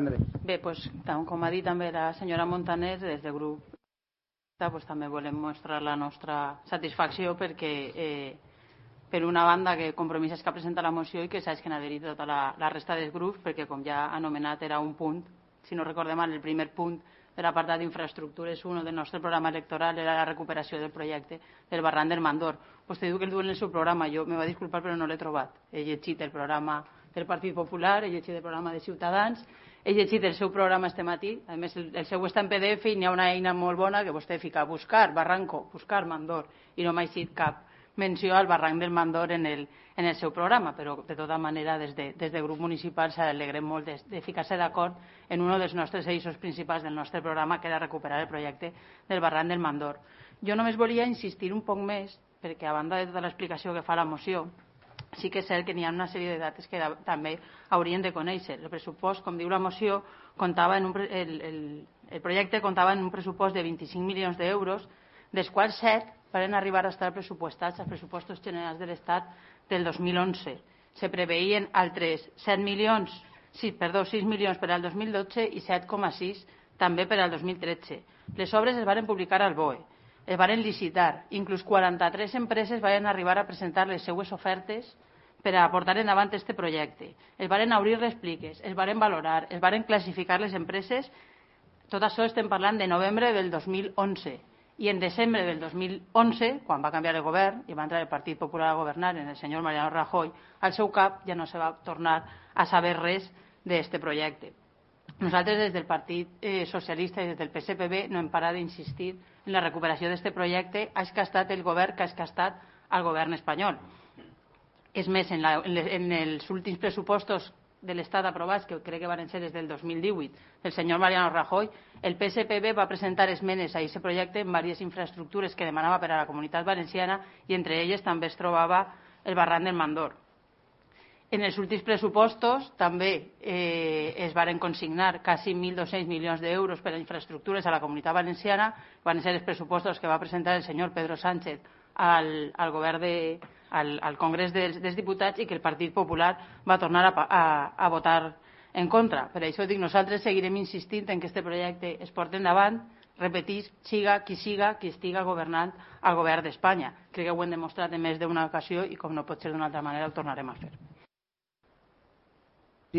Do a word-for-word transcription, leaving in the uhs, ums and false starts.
Bé, doncs, com ha dit també la senyora Montaner, des del grup pues, també volem mostrar la nostra satisfacció perquè, eh, per una banda, que Compromís és que presenta la moció i que saps que n'ha adherit tota la, la resta dels grups, perquè, com ja ha anomenat, era un punt, si no recordem mal, el primer punt de l'apartat d'infraestructures un del nostre programa electoral era la recuperació del projecte del barranc del Mandor. Vostè diu que el duen en el seu programa, jo me va disculpar però no l'he trobat. He llegit el programa del Partit Popular, he llegit el programa de Ciutadans, he llegit el seu programa este matí, a més el, el seu està en P D F i n'hi ha una eina molt bona que vostè fica buscar Barranco, buscar Mandor i no m'ha eixit cap menció al barranc del Mandor en el, en el seu programa, però de tota manera des, de, des del grup municipal s'alegrem molt de, de ficar-se d'acord en un dels nostres eixos principals del nostre programa, que era recuperar el projecte del barranc del Mandor. Jo només volia insistir un poc més, perquè a banda de tota l'explicació que fa la moció, sí que és cert que n'hi ha una sèrie de dates que també haurien de conèixer. El pressupost, com diu la moció, comptava en un, el, el, el projecte comptava en un pressupost de vint-i-cinc milions d'euros, dels quals set van arribar a estar pressupostats als pressupostos generals de l'Estat del dos mil onze. Se preveien altres set milions, sí, perdó, sis milions per al dos mil dotze i set coma sis també per al dos mil tretze. Les obres es van publicar al B O E, es van licitar, inclús quaranta-tres empreses van arribar a presentar les seues ofertes per a portar endavant aquest projecte. Es van obrir les pliques, es van valorar, es van classificar les empreses. Tot això estem parlant de novembre del dos mil onze. I en desembre del dos mil onze, quan va canviar el govern i va entrar el Partit Popular a governar en el senyor Mariano Rajoy, al seu cap ja no se va tornar a saber res d'aquest projecte. Nosaltres des del Partit eh, Socialista i des del P S P B no hem parat d'insistir en la recuperació d'aquest projecte, és que ha estat el govern que ha estat el govern espanyol. És més, en, la, en els últims pressupostos de l'Estat aprovats, que crec que van ser des del dos mil divuit, del senyor Mariano Rajoy, el P S P B va presentar esmenes a aquest projecte en diverses infraestructures que demanava per a la Comunitat Valenciana i entre elles també es trobava el barranc del Mandor. En els últims pressupostos també eh, es varen consignar quasi mil dos-cents milions d'euros per a infraestructures a la Comunitat Valenciana. Van ser els pressupostos que va presentar el senyor Pedro Sánchez al, al govern de, al, al Congrés dels, dels Diputats i que el Partit Popular va tornar a, a, a votar en contra. Per això dic, nosaltres seguirem insistint en que aquest projecte es porti endavant, repetís, siga qui siga qui estiga governant al govern d'Espanya. Crec que ho hem demostrat en més d'una ocasió i com no pot ser d'una altra manera ho tornarem a fer.